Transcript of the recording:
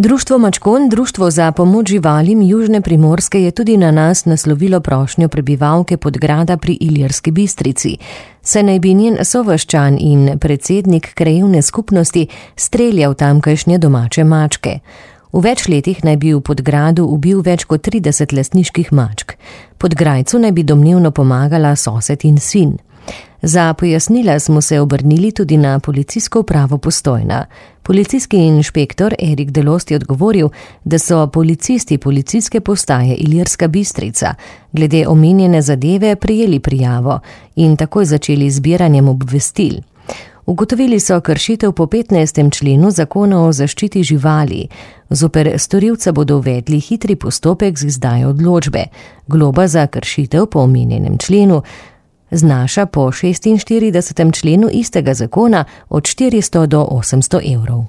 Društvo Mačkon, društvo za pomoč živalim Južne Primorske, je tudi na nas naslovilo prošnjo prebivalke Podgrada pri Ilirski Bistrici. Saj naj bi njen sovaščan in predsednik krajevne skupnosti streljal tamkajšnje domače mačke. V več letih naj bi v Podgradu ubil več kot 30 lastniških mačk. Podgrajcu naj bi domnevno pomagala sosed in sin. Za pojasnila smo se obrnili tudi na policijsko upravo Postojna. Policijski inšpektor Erik Delost je odgovoril, da so policisti policijske postaje Ilirska Bistrica glede omenjene zadeve prejeli prijavo in takoj začeli zbiranjem obvestil. Ugotovili so kršitev po 15. členu Zakona o zaščiti živali. Zoper storilca bodo uvedli hitri postopek z izdajo odločbe. Globa za kršitev po omenjenem členu znaša po 46. členu istega zakona od 400 do 800 evrov.